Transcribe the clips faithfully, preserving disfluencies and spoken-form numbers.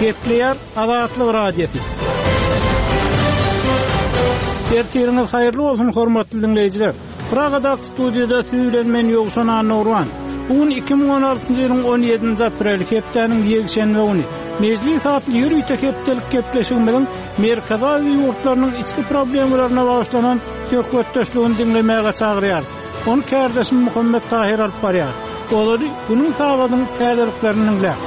Gepleýär Azatlyk Radiosy. Ertiriňiz haýyrly bolsun hormatly dinleýjiler. Pragadaky studiýada siz bilen men Ýowşan Annurwan. Bu gün iki müň on altynjy ýylyň on ýedinji apreli hepdäniň ýekşenbe güni. Mejlis atly ýörite hepdelik gepleşigimiziň Merkezi Aziýa ýurtlarynyň içki problemalaryna bagyşlanan söhbetdeşligini diňlemäge çagyrýar. Onu kärdeşim Muhammet Tahir alyp barýar. Olary günüň sagadyň täzeliklerini diňläp.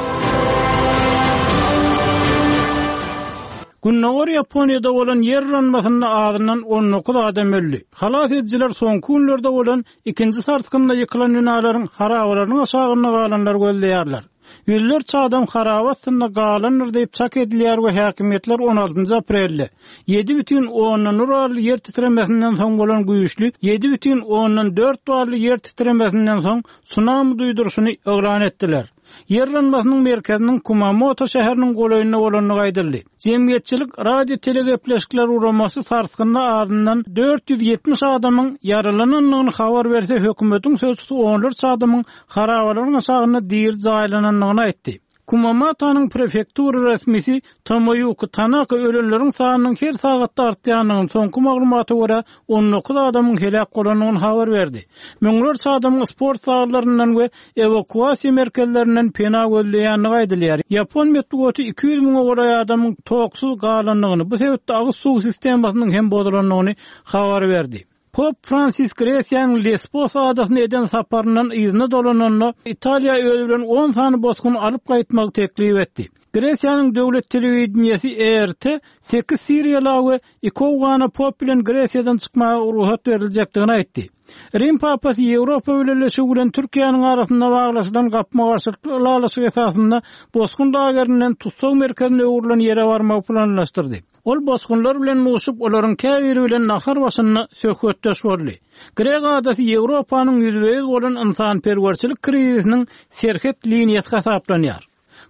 Gündogar Ýaponiýada bolan ýer yranmasynda azyndan on dokuz adam öldi. Halas edijiler soňky günlerde bolan ikinji sarsgynda ýykylan binalaryň harabalarynyň aşagynda galanlar gözleýärler. Ýüzlerçe adam haraba astynda galandyr diýip çak edilýär we häkimiýetler on altynjy aprelde ýedi bütin ondan bir barly ýer titremesinden soň bolan güýçli ýedi bütin ondan dört barly ýer titremesinden soň tsunami duýduryşyny yglan etdiler. Ýer yranmasynyň merkeziniň Kumamoto şäheriniň golaýynda bolandygy aýdyldy. Jemgyýetçilik radio telegepleşikler guramasy sarsgynda azyndan dört ýüz ýetmiş adamyň ýaralanandygyny habar berse, hökümetiň sözçüsi onlarça adamyň harabalaryň aşagynda diri jaýlanandygyny aýtdy. Kumamoto'nyň prefektura resmisi Tomoýuki Tanaka ölenleriň sanynyň her sagatda artýandygyny, soňky maglumata görä on dokuz adamyň heläk bolandygyny habar berdi. Müňlerçe adamyň sport zallaryndan we ewakuasiýa merkezlerinden pena gözleýändigi aýdylýar. Ýapon metbugaty iki ýüz müňe golaý adamyň toksuz galandygyny, bu sebäpli agyz suw sistemasynyň hem bozulandygyny habar berdi. Pop Fransis Gresiýanyň Lesbos adasyna eden saparyndan yzyna dolananda Italiýa özi bilen on sany bosgun alyp gaýtmagy teklip etdi. Gresiýanyň döwlet telewideniýesi E R T sekiz Siriýala we iki Owgana Pop bilen Gresiýadan çykmaga rugsat beriljekdigini aýtdy. Rim Papasy Ýewropa Bileleşigi bilen Türkiýäniň arasynda baglaşylan gapma-garşylykly ylalaşyk esasynda bosgun lagerinden tussag merkezine öwrülen ýere barmagy planlaşdyrdy. Ol bosgunlar bilen duşup, olaryň käbiri bilen nahar başynda söhbetdeş boldy. Grek adasy Ýewropanyň ýüzbe-ýüz bolan ynsanperwerçilik krizisiniň serhet liniýasy hasaplanýar.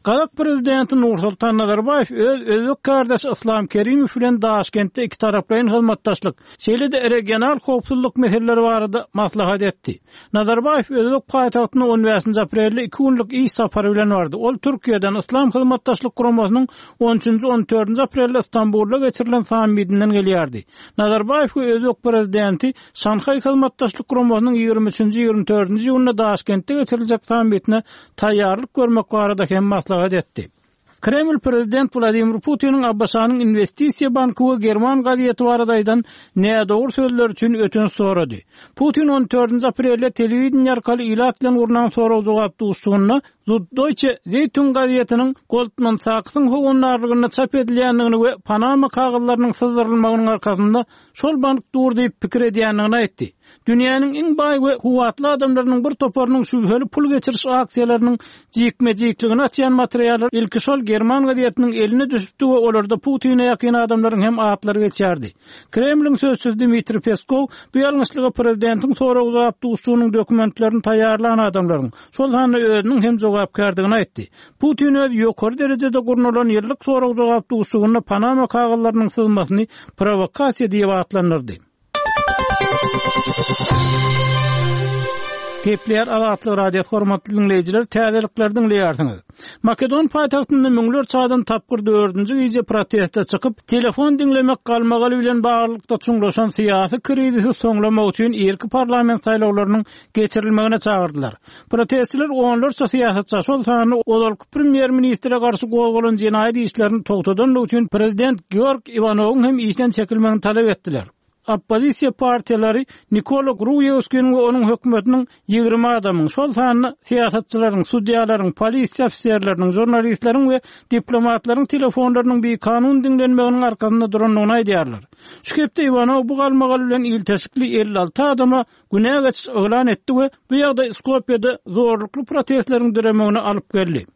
Gazak prezidenti Nursultan Nazarbaýew öz özbek kardeşi Islam Kerimow bilen Daşkentde iki taraplaýyn hyzmatdaşlyk, şeýle-de regional howpsuzlyk meseleleri barada maslahat etdi. Nazarbaýew özbek paýtagtyna on bäşinji aprelde iki günlük iş sapary bilen bardy. Ol Türkiýeden Islam Hyzmatdaşlyk Guramasynyň on üçünji, on dördünji aprelde Stambulda geçirilen sammitinden gelýärdi. Nazarbaýew we özbek prezidenti Şanhaý Hyzmatdaşlyk Guramasynyň ýigrimi üçünji, ýigrimi dördünji iýunda Daşkentde geçiriljek sammitine taýýarlyk görmek barada hem maslahat etdi. Kreml prezident Wladimir Putiniň A B Ş-nyň investisiýa banky we German gazeti barada aýdan nädogry sözler üçin ötünç sorady. Putin on dördünji aprelde telewideniýe arkaly ilat bilen gurnan sorag-jogap duşuşygynda Süddeutsche Zeitung gazetiniň Goldman Sachs'yň howandarlygynda çap edilýändigini we Panama kagyzlarynyň syzdyrylmagynyň arkasynda şol bank dur diýip pikir edýändigini aýtdy. Dünýäniň iň baý we kuwwatly adamlarynyň bir toparynyň şübheli pul geçiriş aksiýalarynyň jikme-jikligini açýan materiallar ilki şol German gazetiniň eline düşüpdi we olarda Putine ýakyn adamlaryň hem atlary geçýärdi. Kremliň sözçüsi Dmitri Peskov bu ýalňyşlyga prezidentiň sorag-jogap duşuşygynyň dokumentlerini taýýarlan adamlaryň, şol sanda özüniň hem jogapkärdigini aýtdy. Putin öz ýokary derejede gurnalan ýyllyk sorag-jogap duşuşygynda Panama kagyzlarynyň syzmasyny provokasiýa diýip atlandyrdy. Gepleýär Azatlyk Radiosy hormatly dinleýjiler, täzelikleri diňleýärsiňiz. Makedon paýtagtynda müňlerçe adam tapgyr dördünji gije proteste çykyp, telefon diňlemek galmagaly bilen baglylykda çuňlaşan syýasy krizisi soňlamak üçin irki parlament saýlawlarynyň geçirilmegine çagyrdylar. Protestçiler onlarça syýasatçy, şol sanda ozalky premýer-ministre garşy gozgalan jenaýat işlerini togtadanlygy üçin prezident Georg Iwanowyň hem işden çekilmegini talap etdiler. Oppozisiýa partiýalary Nikola Gruýewskiniň we onuň hökümetiniň ýigrimi adamyň, şol sanda syýasatçylaryň, sudýalaryň, polisiýa ofiserleriniň, žurnalistleriň we diplomatlaryň telefonlarynyň bikanun diňlenmeginiň arkasynda durandygyny aýdýarlar. Şu hepde Iwanow bu galmagal bilen ilteşikli elli alty adama günä geçiş yglan etdi we bu ýagdaý Skopýada zorlukly protestleriň döremegine alyp geldi.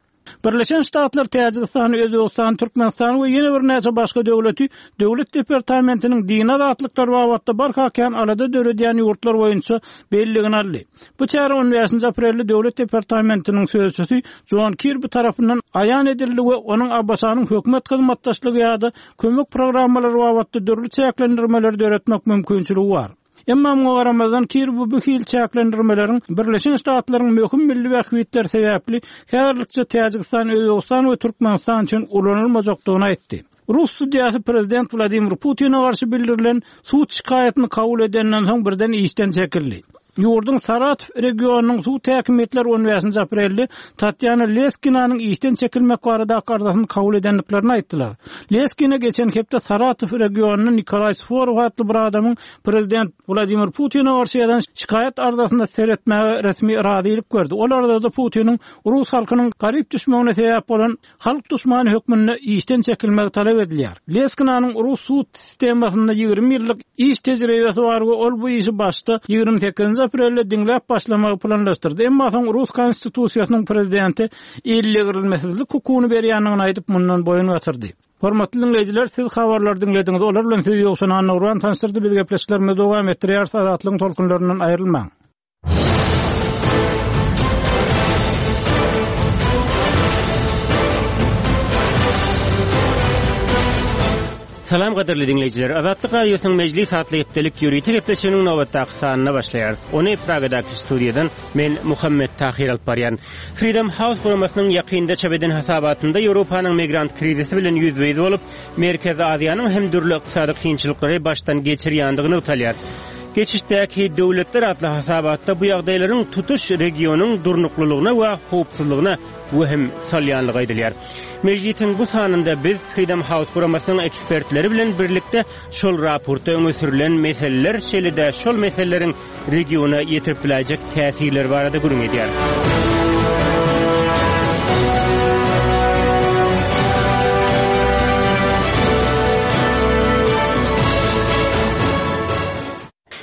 Birleşen Ştatlar Täjigistan, Özbegistan, Türkmenistan we ýene birnäçe başga döwleti Döwlet departamentiniň dini azatlyklar babatda barha kän alada döredýän ýurtlar boýunça belligini aldy. Bu çäre on bäşinji aprelde Döwlet departamentiniň sözçüsi John Kirby tarapyndan aýan edildi we onuň A B Ş-nyň hökümet hyzmatdaşlygy ýa-da kömek programmalary babatda dürli çäklendirmeleri döretmek mümkinçiligi bar. Emma muňa garamazdan Kirbi bu hili çäklendirmeleriň Birleşen Ştatlaryň möhüm milli bähbitleri sebäpli häzirlikçe Täjigistan, Özbegistan we Türkmenistan üçin ulanylmajakdygyny aýtdy. Rus sudýasy prezident Wladimir Putine garşy bildirilen sud şikaýatyny kabul edenden soň birden işden çekildi. Ýurduň Saratow regionynyň sud häkimiýetleri on bäşinji aprelde Tatýana Leskinanyň işden çekilmek baradaky arzasyny kabul edendiklerini aýtdylar. Leskina geçen hepde Saratow regionynda Nikolaý Sworow atly bir adamyň prezident Wladimir Putine garşy ýazan şikaýat arzasyna seretmäge resmi razylyk berdi. Ol arzada Putiniň rus halkynyň garyp düşmegine sebäp bolan halk duşmany hökmünde işden çekilmegi talap edilýär. Leskinanyň rus sud sistemasynda ýigrimi ýyllyk iş tejribesi bar we ol bu işi başda ýigrimi sekizinji aprelde diňläp başlamagy planlaşdyrdy. Emma soň rus konstitusiýasynyň prezidenti ellegirilmesizlik hukugyny berýändigini aýdyp mundan boýun gaçyrdy. Hormatly dinleýjiler, siz habarlary diňlediňiz. Olar bilen sizi Ýowşan Annagurban tanışdyrdy. Biz gepleşiklerimizi dowam etdirýäris. Azatlygyň tolkunlaryndan aýrylmaň. Salam gadyrly dinleýjiler. Azatlyk Radiosynyň Mejlis atly hepdelik ýörite gepleşiginiň nobatdaky sanyna başlaýarys. Ony Pragadaky studiýadan men Muhammet Tahir alyp barýan. Freedom House guramasynyň ýakynda çap eden hasabatynda Ýewropanyň migrant krizisi bilen ýüzbe-ýüz bolup, Merkezi Aziýanyň hem dürli ykdysady kynçylyklary başdan geçirýändigini nygtalýar. Geçişdäki döwletler atly hasabatda bu ýagdaýlaryň tutuş regionyň durnuklylygyna we howpsuzlygyna wehim salýanlygy aýdylýar. Mejlisiň bu sanynda biz Freedom House guramasynyň ekspertleri bilen birlikde şol raportda öňe sürülen meseleler, şeýle-de şol meseleleriň regiona ýetirip biläýjek täsirleri barada gürrüň edýär.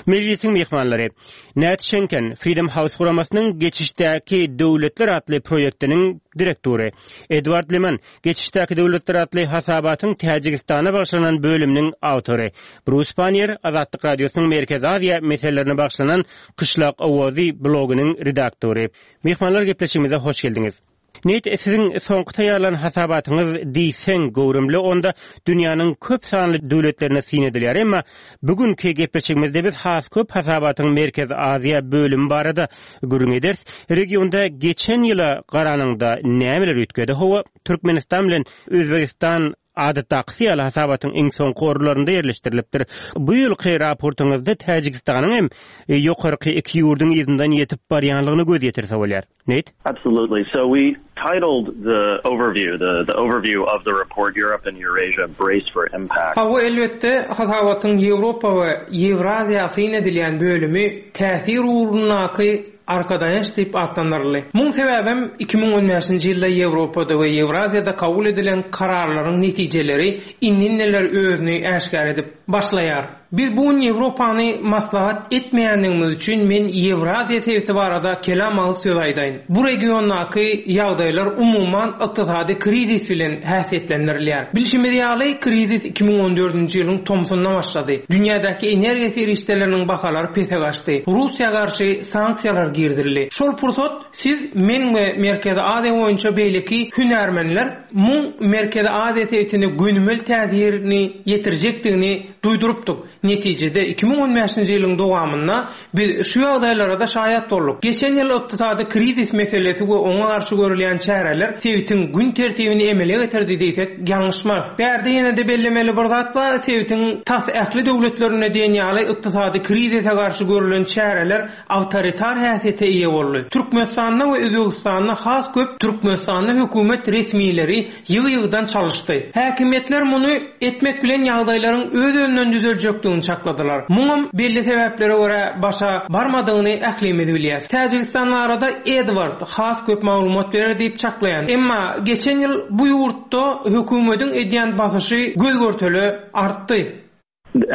Mejlisiň myhmanlary Nat Şenken, Freedom House guramasynyň Geçişdäki döwletler atly proýektiniň direktory, Edward Liman, Geçişdäki döwletler atly hasabatyň Täjigistana bagyşlanan bölüminiň awtory, Brus Pannier, Azatlyk Radiosynyň Merkezi Aziýa meselelerine bagyşlanan Kyşlak owazy blogynyň redaktory. Myhmanlar gepleşigimize hoş geldiňiz. Nate, siziň soňky taýýarlan hasabatyňyz diýseň göwrümli, onda dünýäniň köp sanly döwletlerine syn edilýär. Emma bugünkü gepleşigimizde biz has köp hasabatyň Merkezi Aziýa bölümi barada gürrüň ederis. Regionda geçen ýyla garanyňda nämeler üýtgedi? Hawa, Türkmenistan bilen Özbegistan adatdaky ýaly hasabatyň iň soňky orunlarynda ýerleşdirilipdir. Bu ýylky raportyňyzda Täjigistanyň hem ýokarky iki ýurduň yzyndan ýetip barýanlygyny göz ýetirse bolýar. Nate? Absolutely. So we titled the overview, the, the overview of the report Europe and Eurasia Brace for Impact. Hawa, elbetde hasabatyň Ýewropa we Ýewraziýa syn edilýän bölümi täsir ugrundaky arkadaýanç diýip atlandyryldy. Muň sebäbem iki müň on bäşinji ýylda Ýewropada we Ýewraziýada kabul edilen kararlaryň netijeleri indi-indiler özüni äşgär edip başlaýar. Biz bu gün Ýewropany maslahat etmeýändigimiz üçin men Ýewraziýa sebiti barada kelam agyz söz aýdaýyn. Bu regiondaky ýagdaýlar umuman ykdysady krizis bilen häsiýetlendirilýär. Bilşimiz ýaly, krizis iki müň on dördünji ýylyň tomsunda başlady. Dünýädäki energiýa serişdeleriniň bahalary pese gaçdy. Russiýa garşy sanksiýalar girdirildi. Şol pursat siz, men we Merkezi Aziýa boýunça beýleki hünärmenler muň Merkezi Aziýa sebitine gönümel täsirini ýetirjekdigini duýdurypdyk. Netijede iki müň on bäşinji ýylyň dowamynda biz şu ýagdaýlara da şaýat bolduk. Geçen ýyl ykdysady krizis meselesi we oňa garşy görülýän çäreler sebitiň gün tertibini emele getirdi diýsek ýalňyşmarys. Bärde ýene-de bellemeli bir zat bar, sebitiň tas ähli döwletlerinde diýen ýaly ykdysady krizise garşy görülen çäreler awtoritar häsiýete eýe boldy. Türkmenistanda we Özbegistanda has köp Türkmenistanda hökümet resmileri ýygy-ýygydan çalyşdy. Häkimiýetler muny etmek bilen ýagdaýlaryň öz-özünden düzeljekdigini çakladylar. Muňam belli sebäplere görä başa barmadygyny ählimiz bilýäris. Täjigistan barada Edward has köp maglumat berer diýip çaklaýan. Emma geçen ýyl bu ýurtda hökümetiň edýän basyşy göz görtele artdy.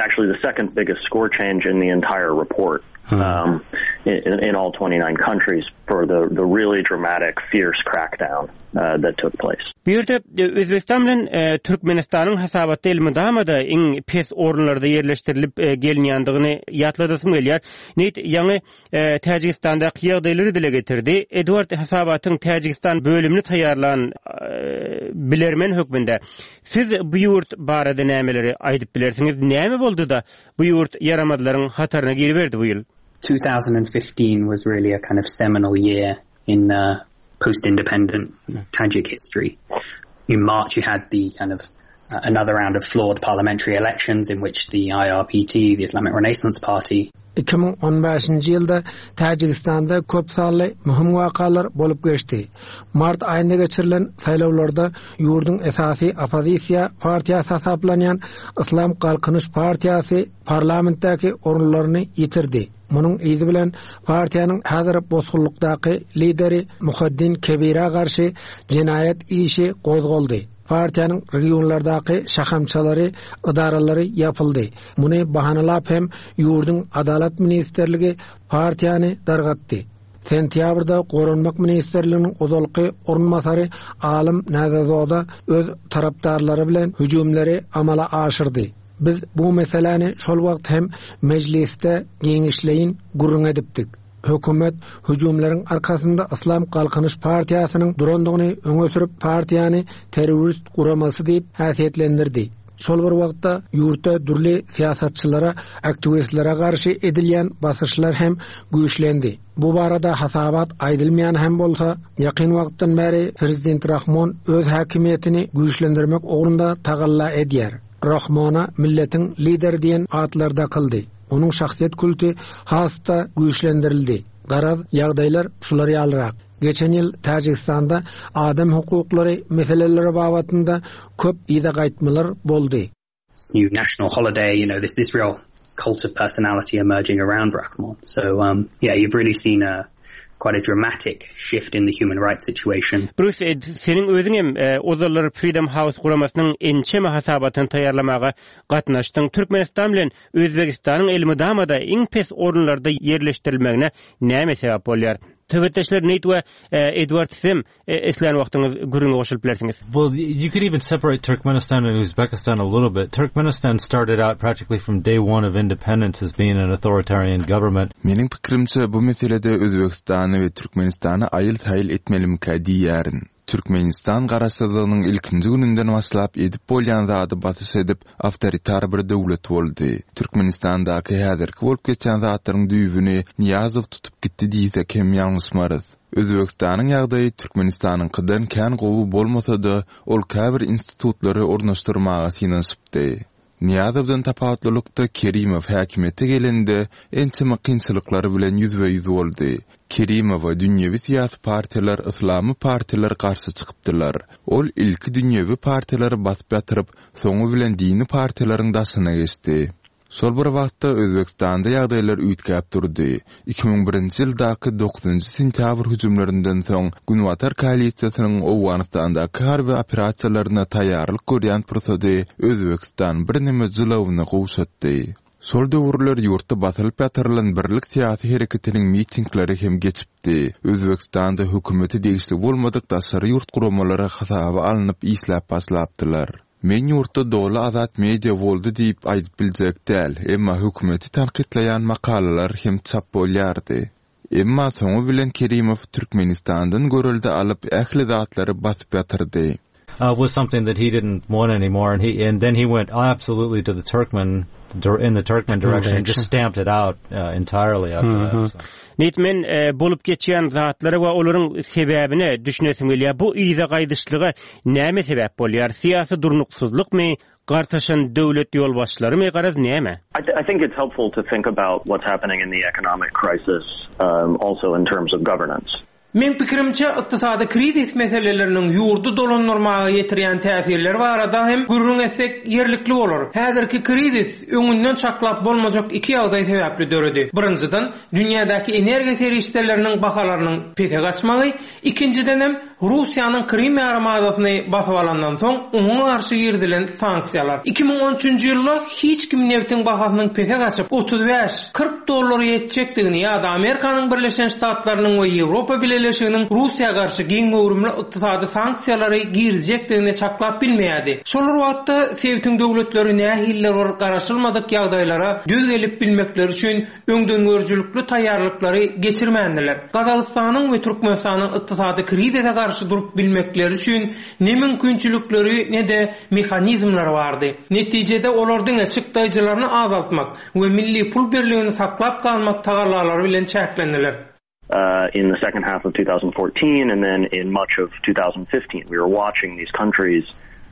Actually the second biggest score change in the entire report. Um, in, in all twenty-nine countries for the, the really dramatic, fierce crackdown uh, that took place. Bu ýerde Özbegistan bilen Türkmenistanyň hasabatda elmydama-da iň pes orunlarda ýerleşdirilip gelinýändigini ýatladasym gelýär. Neýt ýaňy Täjigistandaky ýagdaýlary dile getirdi. Edward hasabatyň Täjigistan bölümini taýýarlan bilermen hökmünde siz bu ýurt barada nämeleri aýdyp bilersiňiz? Näme boldy-da bu ýurt ýaramazlaryň hataryna giriberdi bu ýyl? two thousand fifteen was really a kind of seminal year in uh, post-independent Tajik history. In March, you had the kind of uh, another round of flawed parliamentary elections in which the I R P T, the Islamic Renaissance Party, iki müň on bäşinji ýylda Täjigistanda köp sanly möhüm wakalar bolup geçdi. Mart aýynda geçirilen saýlawlarda ýurduň esasy oppozisiýa partiýasy hasaplanýan Islam Galkynyş partiýasy parlamentdäki orunlaryny ýitirdi. Munuň yzy bilen partiýanyň häzir bosgunlykdaky lideri Muhaddin Kebira garşy jenaýat işi gozgaldy. Partiýanyň regionlardaky şahamçalary, idaralary ýapyldy. Muny bahanalap hem ýurduň Adalat ministrligi partiýany dargatdy. Sentýabrda Goranmak ministrliginiň ozalky orunbasary Alym Nazazoda öz tarapdarlary bilen hüjümleri amala aşyrdy. Biz bu meseläni şol wagt hem mejlisde giňişleýin gürrüň edipdik. Hökümet hüjümleriň arkasynda Islam Galkynyş partiýasynyň durandygyny öňe sürüp partiýany terrorist guramasy diýip häsiýetlendirdi. Şol bir wagtda ýurtda dürli syýasatçylara, aktiwistlere garşy edilýän basyşlar hem güýçlendi. Bu barada hasabat aýdylmaýan hem bolsa, ýakyn wagtdan bäri prezident Rahmon öz häkimiýetini güýçlendirmek ugrunda tagalla edýär. Rahmona milletiň lideri diýen atlar dakyldy. Onuň şahsyýet kulty has-da güýçlendirildi. Garaz, ýagdaýlar şular ýalyrak. Geçen ýyl Täjigistanda adam hukuklary meseleleri babatynda köp yza gaýtmalar boldy. This new national holiday, you know, this this real cult of personality emerging around Rahmon. So um, yeah, you've really seen a quite a dramatic shift in the human rights situation. Bruce, seniň özüň hem ozallar Freedom House guramasynyň ençeme hasabatyny taýýarlamaga gatnaşdyň. Türkmenistan bilen Özbegistanyň elmydama-da iň pes orunlarda ýerleşdirilmegine näme sebäp bolýar? Söhbetdeşler Nate we Edward Sim islän wagtyňyz gürrüňe goşulyp bilersiňiz. Well, you could even separate Turkmenistan and Uzbekistan a little bit. Turkmenistan started out practically from day one of independence as being an authoritarian government. Meniň pikirimçe bu meselede Özbegistany we Türkmenistany aýyl-saýyl etmelimkä diýýärin. Türkmenistan garaşsyzlygynyň ilkinji gününden başlap edip bolýan zady basyş edip, awtoritar bir döwlet boldy. Türkmenistandaky häzirki bolup geçen zatlaryň düýbüni Niýazow tutup gitdi diýsek hem ýalňyşmarys. Özbegistanyň ýagdaýy Türkmenistanyňkydan kän gowy bolmasa-da, ol käbir institutlary ornaşdyrmaga synanyşypdy. Niýazowdan tapawutlylykda Kerimow häkimiýete gelende ençeme kynçylyklar bilen ýüzbe-ýüz boldy. Kerimowa dünýewi syýasy partiýalar, yslamy partiýalar garşy çykypdylar. Ol ilki dünýewi partiýalary basyp ýatyryp, soňy bilen dini partiýalaryň daşyna geçdi. Şol bir wagtda Özbegistanda ýagdaýlar üýtgäp durdy. iki müň birinji ýyldaky dokuzynjy sentýabr hüjümlerinden soň Günbatar koalisiýasynyň Owganystandaky harby operasiýalaryna taýýarlyk görýän pursady Özbegistan birneme jylawyny gowşatdy. Şol döwürler ýurtda basylyp ýatyrylan Birlik syýasy hereketiniň mitingleri hem geçipdi. Özbegistanda hökümete degişli bolmadyk daşary ýurt guramalary hasaba alnyp işläp başlapdylar. Men ýurtda doly azat media boldy diýip aýdyp biljek däl, emma hökümeti tankytlaýan makalalar hem çap bolýardy. Emma soňy bilen Kerimow Türkmenistandan görelde alyp ähli zatlary basyp ýatyrdy. Uh, was something that he didn't want anymore, and he and then he went absolutely to the Turkmen in the Turkmen direction and just stamped it out uh, entirely after that. So. Nate men e, bolup geçýän zatlara we olaryň sebäbine düşünesim gelýär. Bu yza gaýdyşlyga näme sebäp bolýar? Syýasy durnuksyzlykmy, gartaşan döwlet ýolbaşçylarymy, garaz näme? I, th- I think it's helpful to think about what's happening in the economic crisis um, also in terms of governance. Meň pikirimçe ykdysady krizis meseleleriniň ýurdy dolandyrmaga ýetirýän täsirleri barada hem gürrüň etsek ýerlikli bolar. Häzirki krizis öňünden çaklap bolmajak iki ýagdaý sebäpli döredi. Birinjiden, dünýädäki energiýa serişdeleriniň bahalarynyň pese gaçmagy, ikinjiden hem Russiýanyň Krym ýarymadasyny basyp alandan soň oňa garşy girizilen sanksiýalar. iki müň on üçünji ýylda hiç kim nebtiň bahasynyň pese gaçyp otuz bäş kyrk dollara ýetjekdigini ýa-da Amerikanyň Birleşen Ştatlarynyň we Ýewropa Bileleşiginiň Russiýa garşy giň göwrümli ykdysady sanksiýalary girizjekdigini çaklap bilmeýärdi. Şol bir wagtda sebitiň döwletleri nähilidir bir garaşylmadyk ýagdaýlara döz gelip bilmekleri üçin öňdengörüjilikli taýýarlyklary geçirmändiler. Gazagystanyň we Türkmenistanyň ykdysady krizise garşy durup bilmekleri üçin ne mümkinçilikleri ne-de mehanizmleri bardy. Netijede olar diňe çykdaýjylaryny azaltmak we milli pul birligini saklap galmak tagallalary bilen çäklendiler. Uh, in the second half of two thousand fourteen and then in much of two thousand fifteen, we were watching these countries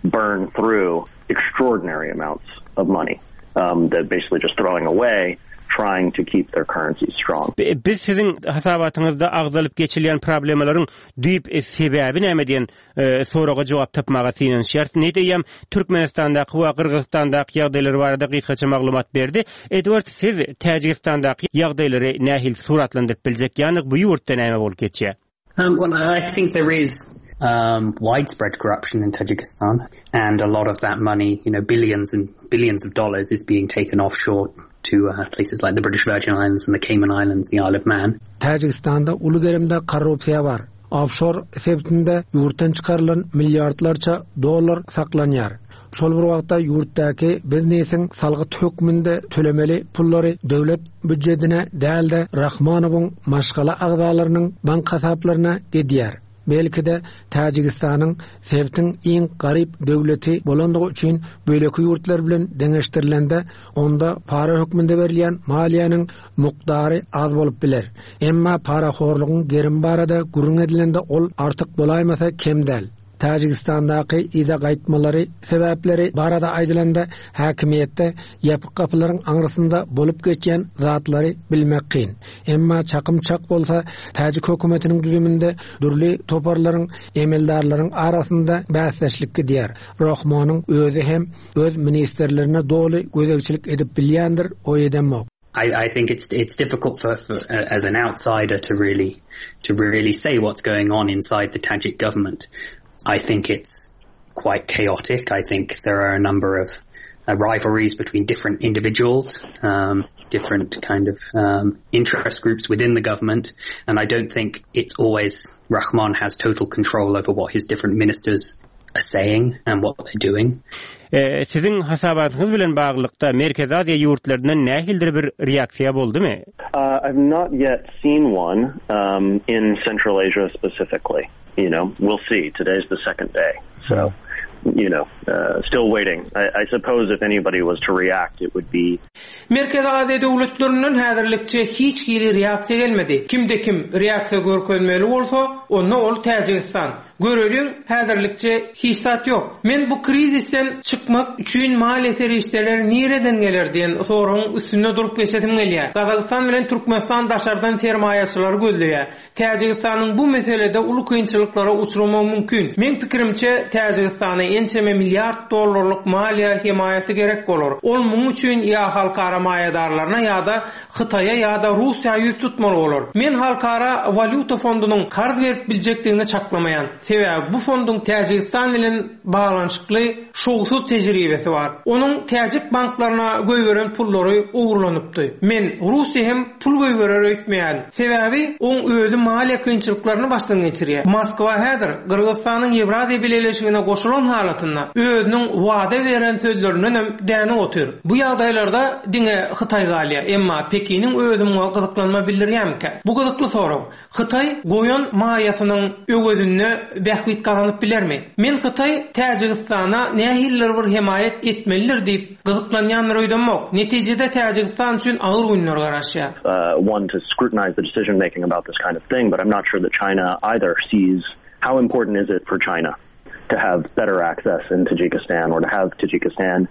burn through extraordinary amounts of money, um, that basically just throwing away, trying to keep their currencies strong. Biz siziň hasabatyňyzda agzalyp geçilýän problemalaryň düýp sebäbi näme diýen, e, soraga jogap tapmaga synanyşýarys. Ne diýem, Türkmenistandaky we Gyrgyzystandaky ýagdaýlar barada gysgaça maglumat berdi. Edward, siz Täjigistandaky ýagdaýlary nähili suratlandyryp biljek? Ýagny bu ýurtda näme bolup geçýär? Um, well, I think there is, um, widespread corruption in Tajikistan, and a lot of that money, you know, billions and billions of dollars is being taken offshore to, uh, places like the British Virgin Islands and the Cayman Islands, the Isle of Man. Täjigistanda uly gerimde korrupsiýa bar. Offshore sebitinde ýurtdan çykarylan milliardlarça dollar saklanýar. Şol bir wagtda ýurtdaky biznesiň salgyt hökmünde tölemeli pullary döwlet büdjetine däl-de Rahmanowyň maşgala agzalarynyň bank hasaplaryna gidýär. Belki-de Täjigistanyň sebitiň iň garyp döwleti bolandygy üçin böleki ýurtlar bilen deňeşdirilende onda para hökmünde berilýän maliýanyň mukdary az bolup biler. Emma parahorlugyň gerim barada gürrüň edilende ol artyk bolaýmasa kem däl. Täjigistandaky ýa gaýtmalary sebäpleri barada aýdylanda häkimiýetde ýapyk gapylaryň aňrysynda bolup geçýän zatlary bilmek kyn. Emma çakym çak bolsa Täjik hökümetiniň düzüminde dürli toparlaryň, emeldarlaryň arasynda bäsdeşlik gidýär. Rahmonyň özi hem öz ministerlerine doly gözegçilik edip bilýändir, o edemok. I, I think it's, it's difficult for, for, uh, as an outsider to really, to really say what's going on inside the Tajik government. I think it's quite chaotic. I think there are a number of, uh, rivalries between different individuals, um, different kind of, um, interest groups within the government. And I don't think it's always Rahmon has total control over what his different ministers are saying and what they're doing. E, siziň hasabatyňyz bilen baglylykda Merkezi Aziýa ýurtlaryndan nähilidir bir reaksiýa boldumy? Uh, I've not yet seen one, um, in Central Asia specifically. You know, we'll see. Today's the second day. So, you know, uh, still waiting. I, I suppose if anybody was to react, it would be... Merkezi Aziýa döwletlerinden häzirlikçe hiç hili reaksiýa gelmedi. Kimde kim reaksiýa görkezmeli bolsa, onda ol Täjigistan. Göreliň, häzirlikçe hiç zat ýok. Men bu krizisden çykmak üçin maliýe serişdeleri nireden geler diýen soragyň üstünde durup geçesim gelýär. Gazagystan bilen Türkmenistan daşardan sermaýaçylary gözleýär. Täjigistanyň bu meselede uly kynçylyklara uçramagy mümkin. Men pikirimçe Täjigistana ençeme milliard dollarlyk maliýe hemaýaty gerek bolar. Ol muň üçin ýa halkara maýadarlaryna ýa-da Hytaýa ýa-da Russiýa ýüz tutmaly bolar. Men halkara walýuta fondunyň karz berip biljekdigini çaklamaýan. Sebäbi bu fonduň Täjigistan bilen baglanyşykly şowsuz tejribesi bar. Onuň täjik banklaryna goýberen pullary ogurlanypdy. Men Russiýa hem pul goýberer öýtmeýän. Sebäbi oň özi maliýe kynçylyklaryny başdan geçirýär. Moskwa häzir Gyrgyzystanyň Ýewraziýa Bileleşigine goşulan halatynda özüniň wada beren sözlerinden hem däne otyr. Bu ýagdaýlarda diňe Hytaý galýar, emma Pekiniň özi muňa gyzyklanma bildirýärmikä? Bu gyzykly sorag. Hytaý goýan maýasynyň öwezinde bähbit gazanyp bilermi? Men Hytaý Täjigistana nähilidir bir hemaýat etmelidir diýip gyzyklanýandyr öýdemok. Netijede Täjigistan üçin agyr günler garaşýar. Uh, one to scrutinize the decision making about this kind of thing, but I'm not sure that China either sees how important is it for China to have better access in Tajikistan or to have Tajikistan,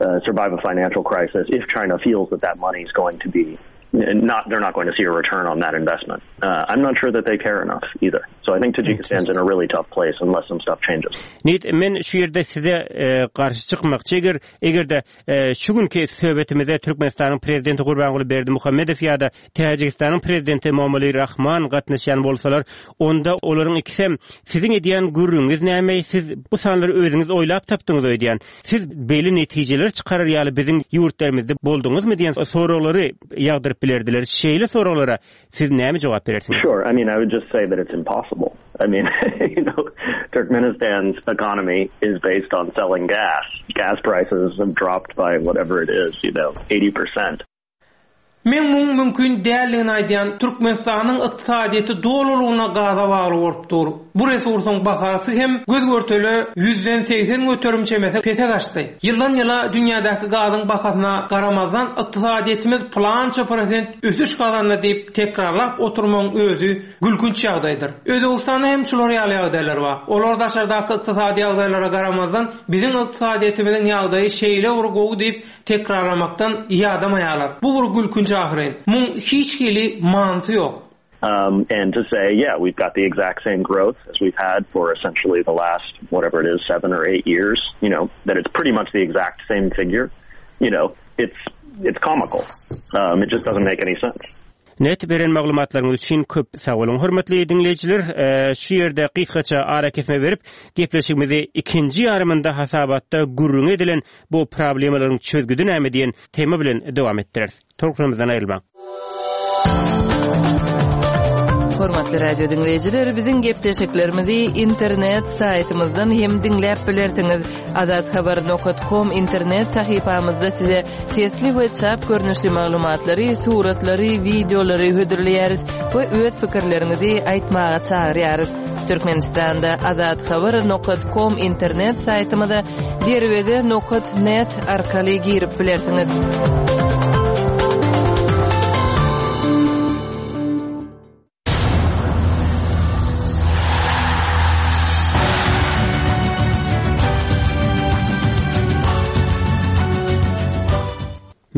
uh, survive a financial crisis if China feels that that money is going to be not they're not going to see a return on that investment. Uh, I'm not sure that they care enough either. So I think Tajikistan's in a really tough place unless some stuff changes. Nate, men şu ýerde size e, garşy çykmakçy eger eger-de e, şu günki söhbetimize Türkmenistanyň prezidenti Gurbanguly Berdimuhamedow ýa-da Täjigistanyň prezidenti Emomali Rahman gatnaşýan bolsalar, onda olaryň ikisem siziň edýän gürrüňiňiz näme? Siz bu sanlary özüňiz oýlap tapdyňyz öýdýän. Siz beýle netijeler çykarar ýaly biziň ýurtlarymyzda bolduňyzmy diýen soraglary ýagdyryp bilerdiler. Şeýle soraglara siz näme jogap berersiňiz? Sure. I mean, I would just say that it's impossible. I mean, you know, Turkmenistan's economy is based on selling gas. Gas prices have dropped by whatever it is, you know, eighty percent. Men muň mümkin däldigini aýdýan. Türkmenistanyň ykdysadyýeti dolulygyna gaza bagly bolup dur. Bu resursyň bahasy hem göz-görtele ýüzden segsen göterim çemesi pese gaçdy. Ýyldan ýyla dünýädäki gazyň bahasyna garamazdan ykdysadyýetimiz pylança prosent ösüş gazandy diýip tekrarlap oturmagyň özi gülkünç ýagdaýdyr. Özbegistanda hem şular ýaly ýagdaýlar bar. Olar daşardaky ykdysady ýagdaýlara garamazdan biziň ykdysadyýetimiziň ýagdaýy şeýle bir gowy diýip tekrarlamakdan ýadamaýarlar. Bu bir gülkünç ahyryn. Muň hiç hili manysy ýok. Um, and to say, yeah, we've got the exact same growth as we've had for essentially the last, whatever it is, seven or eight years, you know, that it's pretty much the exact same figure, you know, it's, it's comical. Um, it just doesn't make any sense. Nate, beren maglumatlaryňyz üçin köp sag boluň. Hormatly diňleýjiler, e, şu ýerde gysgaça arakesme berip, gepleşigimizi ikinji ýarymynda hasabatda gürrüň edilen bu problemalaryň çözgüdi näme diýen tema bilen dowam etdireris. Tolkunymyzdan aýrylmaň. Hormatly radio diňleýjiler, biziň gepleşiklerimizi internet saýtymyzdan hem diňläp bilersiňiz. Azathabar nokta com internet sahypamyzda size sesli we çap görnüşli maglumatlary, suratlary, wideolary hödürleýäris we öz pikirleriňizi aýtmaga çagyrýarys. Türkmenistanda azathabar nokta com internet saýtymyza derweze nokta net arkaly girip bilersiňiz.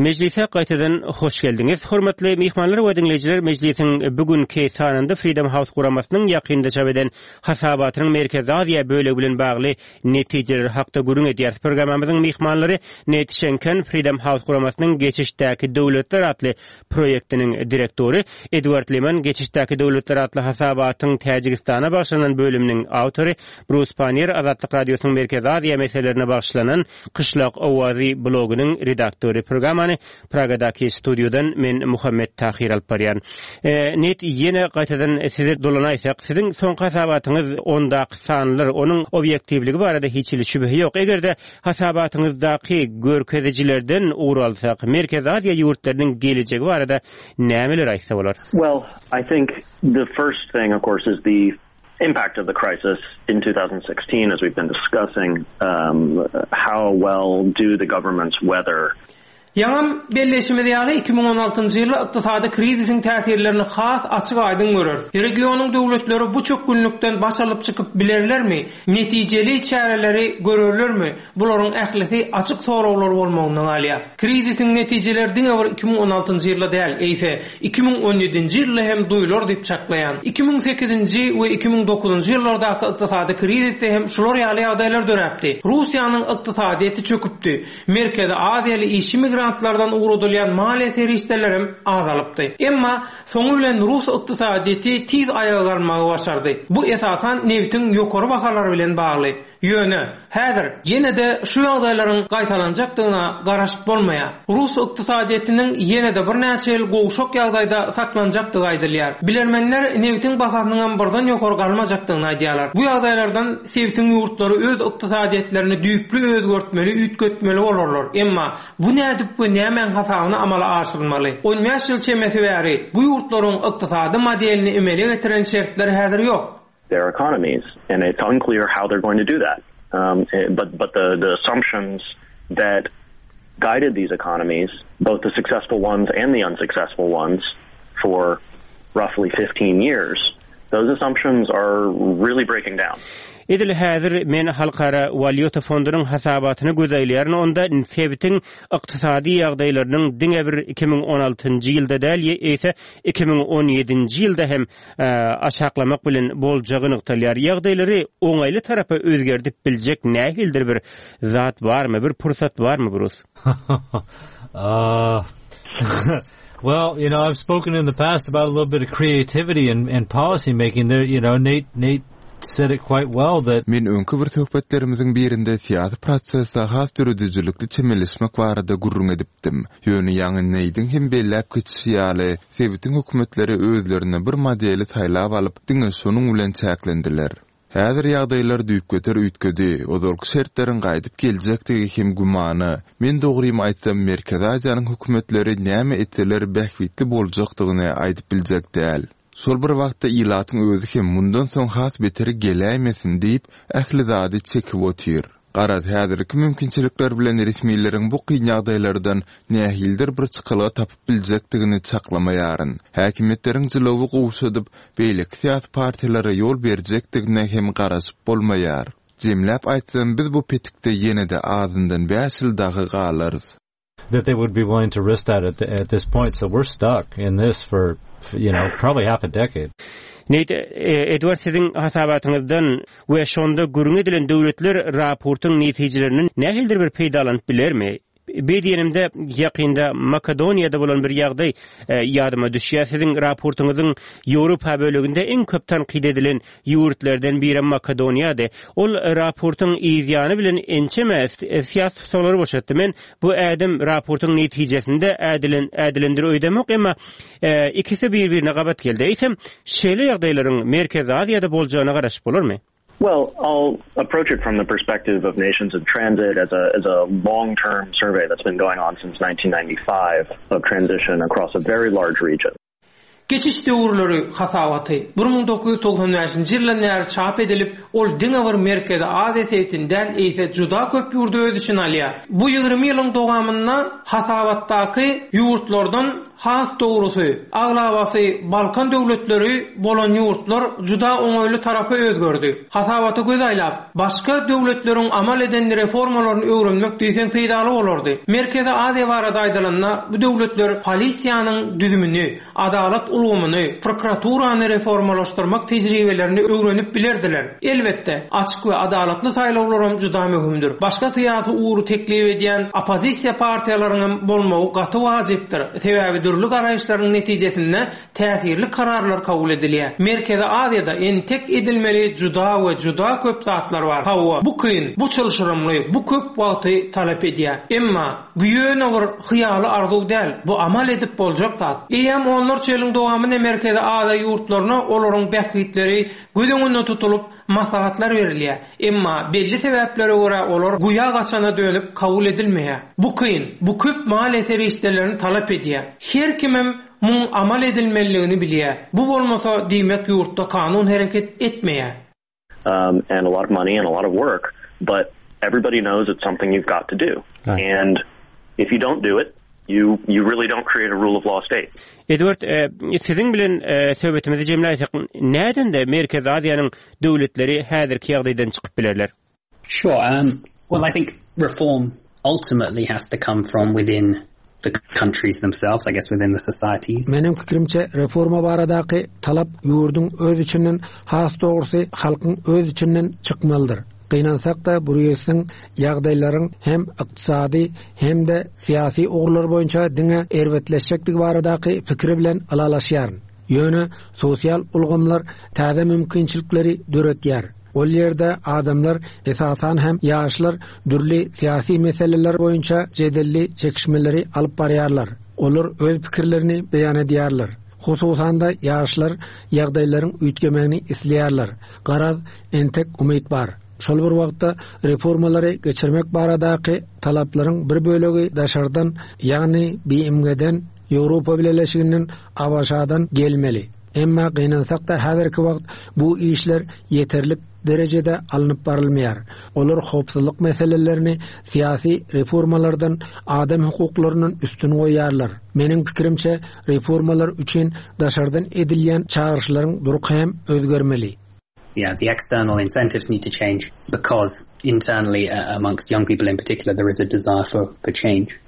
Mejlise gaýtadan hoş geldiňiz. Hormatly myhmanlar we diňleýjiler, mejlisiň bugünki sanynda Freedom House guramasynyň ýakynda çap eden hasabatynyň Merkezi Aziýa bölegi bilen bagly netijeler hakda gürrüň edýär. Programmamyzyň myhmanlary Nate Şenken, Freedom House guramasynyň Geçişdäki döwletler atly proýektiniň direktory, Edward Leman, Geçişdäki döwletler atly hasabatyň Täjigistana bagyşlanan bölüminiň awtory, Bruce Pannier, Azatlyk Radiosynyň Merkezi Aziýa meselelerine bagyşlanan Kyşlak Owazy blogynyň redaktory. Programmany Pragadaky studiodan men Muhammet Tahir alyp barýan. E, Nate, ýene gaýtadan size dolanaýsak, siziň soňky hasabatyňyz ondaky sanlar, onuň obýektiwligi barada hiç hili şübhe ýok. Eger-de hasabatyňyzdaky görkezijilerden ugur alsak, Merkezi Aziýa ýurtlarynyň gelejegi barada nämeler aýtsa bolar? Well, I think the first thing, of course, is the impact of the crisis in twenty sixteen, as we've been discussing, um, how well do the governments weather Ýaňam belleşimiz ýaly iki müň on altynjy ýylda ykdysady krizisiň täsirlerini has açyk aýdyň göreris. Regionyň döwletleri bu çökgünlikden baş alyp çykyp bilerlermi? Netijeli çäreleri görerlermi? Bularyň ählisi açyk soraglar bolmagyndan galýar. Krizisiň netijeleri diňe bir iki müň on altynjy ýylda däl, eýse iki müň on ýedinji ýylda hem duýular diýip çaklaýan. iki müň sekizinji we iki müň dokuzynjy ýyllardaky ykdysady krizisde hem şular ýaly ýagdaýlar döräpdi. Russiýanyň ykdysadyýeti çöküpdi. Merkezi Aziýaly işçi migrantlardan ugradylýan maliýe serişdeleri hem azalypdy. Emma soňy bilen Rus ykdysadyýeti tiz aýaga galmagy başardy. Bu esasan nebitiň ýokary bahalary bilen bagly. Ýöne häzir ýene-de şu ýagdaýlaryň gaýtalanjakdygyna garaşyp bolmaýar. Rus ykdysadyýetiniň ýene-de birnäçe ýyl gowşak ýagdaýda saklanjakdygy aýdylýar. Bilermenler nebitiň bahasynyň hem birden ýokary galmajakdygyny aýdýarlar. Bu ýagdaýlardan sebitiň ýurtlary öz ykdysadyýetlerini düýpli özgertmeli, üýtgetmeli bolarlar. Emma bu nädip we nämäň hasabyna amala aşyrylmaly? on bäş ýyl çemesi bäri bu ýurtlaryň ykdysady modelini emele getiren şertler häzir ýok. Their economies, and it's unclear how they're going to do that. Um, eh, but but the, the assumptions that guided these economies, both the successful ones and the unsuccessful ones, for roughly fifteen years, those assumptions are really breaking down. Edil häzir men Halkara Walýuta fondunyň hasabatyna göz aýlaýaryn, onda sebitiň ykdysady ýagdaýlarynyň diňe bir iki müň on altynjy ýylda däl, eýse iki müň on ýedinji ýylda hem aşaklamak bilen boljagy nygtalýar. Ýagdaýlary oňaýly tarapa özgerdip biljek nähilidir bir zat barmy, bir pursat barmy, Brus? Uh, well, you know, I've spoken in the past about a little bit of creativity and, and policy making there. You know, Nate, Nate said it quite well that Men öňki bir söhbetlerimiziň birinde syýasy prosese has döredijilikli çemeleşmek barada gürrüň edipdim. Ýöne ýaňy Neýdiň hem belläp geçişi ýaly, sebitiň hökümetleri özlerine bir modeli saýlap alyp, diňe şonuň bilen çäklendiler. Häzir ýagdaýlar düýpgöter üýtgedi. Ozalky şertleriň gaýdyp geljekdigi hem gümana. Men dogrymy aýtsam, Merkezi Aziýanyň hökümetleri näme etseler bähbitli boljakdygyny aýdyp biljek däl. Şol bir wagtda ilatyň özi hem mundan soň has beteri geläýmesin diýip, ähli zady çekip otyr. Garaz, häzirki mümkinçilikler bilen resmileriň bu kyn ýagdaýlardan nähilidir bir çykalga tapyp biljekdigini çaklamaýaryn. Häkimiýetleriň jylawy gowşadyp, beýleki syýasy partiýalara ýol berjekdigine hem garaşyp bolmaýar. Jemläp aýtsam, biz bu petikde ýene-de azyndan bäş ýyl dagy galarys. That they would be willing to risk that at, the, at this point. So we're stuck in this for, you know, probably half a decade. Nate, e, Edward, siziň hasabatyňyzdan we şonda gürrüň edilen döwletler raportyň netijelerinden nähilidir bir peýdalanyp bilermi? Beý diýenimde ýakynda Makedoniýada bolan bir ýagdaý, e, ýadyma düşýär. Siziň raportyňyzyň Ýewropa böleginde iň köp tankyt edilen ýurtlardan biri Makedoniýady. Ol raportyň yzýany bilen ençeme syýasy tutsaklary boşatdy. Men bu ädim raportyň netijesinde ädilen, ädilendir öýdemok, emma, e, ikisi bir-birine gabat geldi. Eýsem, şeýle ýagdaýlaryň Merkezi Aziýada boljagyna garaşyp bolarmy? Well, I'll approach it from the perspective of Nations in Transit as a, as a long-term survey that's been going on since nineteen ninety-five of transition across a very large region. Geçiş döwürleri hasabaty bir müň dokuz ýüz togsan bäşinji ýyldan bäri çap edilip, ol diňe bir Merkezi Aziýa sebitinden eýse juda köp ýurdy öz içine alýar. Bu ýigrimi ýylyň dowamynda hasabatdaky ýurtlardan has dogrusy, aglabasy Balkan döwletleri bolan ýurtlar juda oňaýly tarapa özgerdi. Hasabata göz aýlap, başga döwletleriň amal eden reformalaryny öwrenmek diýseň peýdaly bolardy. Merkezi Aziýa barada aýdylanda, bu döwletler polisiýanyň düzümini, adalat ulgamyny, prokuraturany reformalaşdyrmak tejribelerini öwrenip bilerdiler. Elbetde, açyk we adalatly saýlawlaram juda möhümdir. Başga syýasy ugry teklip edýän oppozisiýa partiýalarynyň bolmagy gaty wajypdyr. Sebäbi dürli garaýyşlaryň netijesinde täsirli kararlar kabul edilýär. Merkezi Aziýada entek edilmeli juda we juda köp zatlar bar. Hawa, bu kyn, bu çylşyrymly, bu köp wagty talap edýär. Emma bu ýöne bir hyýaly arzuw däl, bu amal edip boljak zat. Eýýäm onlarça ýylyň dowamynda Merkezi Aziýa ýurtlaryna olaryň bähbitleri göz öňünde tutulyp maslahatlar berilýär. Emma belli sebäplere görä olar guýa gaçana dönüp kabul edilmeýär. Bu kyn, bu köp maliýe serişdelerini talap edýär. Her kimem muň amal edilmeliligini bilýär. Bu bolmasa diýmek ýurtda kanun hereket etmeýär. Um, and a lot of money and a lot of work, but everybody knows it's something you've got to do. Right. And if you don't do it, you, you really don't create a rule of law state. Edward, e, siziň bilen, e, söhbetimizi jemläýsek, näden de Merkezi Aziýanyň döwletleri häzirki ýagdaýdan çykyp bilerler? Sure. Um, well, I think reform ultimately has to come from within the countries themselves, I guess within the societies. Meniň fikrimçe reforma baradaky talap ýurduň öz içinden, has dogrusy halkyň öz içinden çykmalydyr. Gynansak da bu ýurduň ýagdaýlaryň hem ykdysady hem de syýasy ugurlar boýunça diňe erbetleşjekdigi baradaky fikri bilen ylalaşýaryn. Ýöne sosial ulgamlar täze mümkinçilikleri döretýär. Ol ýerde adamlar, esasan hem ýaşlar dürli syýasy meseleler boýunça jedelli çekişmeleri alyp barýarlar. Olar öz pikirlerini beýan edýärler. Hususan da ýaşlar ýagdaýlaryň üýtgemegini isleýärler. Garaz, entek umyt bar. Şol bir wagtda reformalary geçirmek baradaky talaplaryň bir bölegi daşardan, ýagny B M G-den, Ýewropa Bileleşiginden, A B Ş-dan gelmeli. Emma gynansak da häzirki wagt bu işler ýeterlik derejede alnyp barylmaýar. Olar howpsuzlyk meselelerini syýasy reformalardan, adam hukuklaryndan üstün goýarlar. Meniň pikirimçe reformalar üçin daşardan edilýän çağrışlaryň durky hem özgermeli. Yeah, the external incentives need to change because internally uh, amongst young people in particular there is a desire for, for change.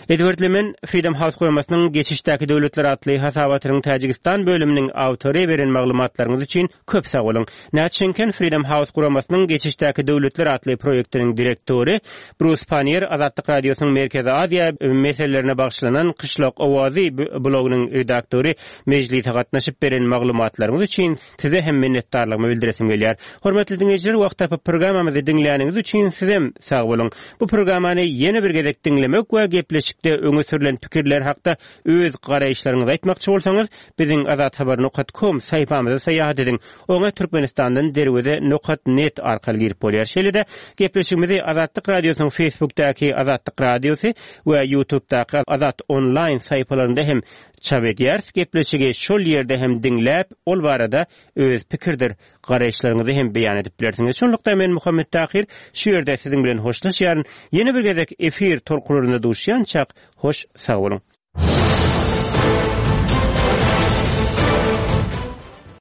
Edward Lemen Freedom House guramasynyň Geçişdäki döwletler atly hasabatynyň Täjigistan bölüminiň awtory beren maglumatlaryňyz üçin köp sag boluň. Nat Şenken Freedom House guramasynyň Geçişdäki döwletler atly proýektiniň direktory Brus Panier Azatlyk Radiosynyň Merkezi Aziýa meselelerine bagyşlanan Kyşlak owazy blogynyň redaktory mejlise gatnaşyp beren maglumatlaryňyz üçin size hem minnetdarlygymy bildiresim gelýär. Hormatly diňleýjiler, wagt tapyp programmamyzy diňläniňiz üçin sizem sag boluň. Bu programmany ýene bir gezek diňlemek we gepleşikde öňe sürülen pikirler hakda öz garaýyşlaryňyzy aýtmakçy bolsaňyz, biziň azathabar.com saýfamyza syýahat ediň. Oňa Türkmenistandan derweze nokat net arkaly girip bolýar. Şeýle-de gepleşigimizi Azatlyk Radiosynyň Facebookdaky Azatlyk Radiosy we YouTube'daky Azat Online saýfalarynda hem çap edýäris. Gepleşigi şol ýerde hem diňläp, ol barada öz pikirdir garaýyşlaryňyzy hem beýan edip bilersiňiz. Şonlukda men Muhammet Tahir şu ýerde siziň bilen hoşlaşýaryn. Ýene bir gezek efir tolkunlarynda duşýançak hoş sag boluň.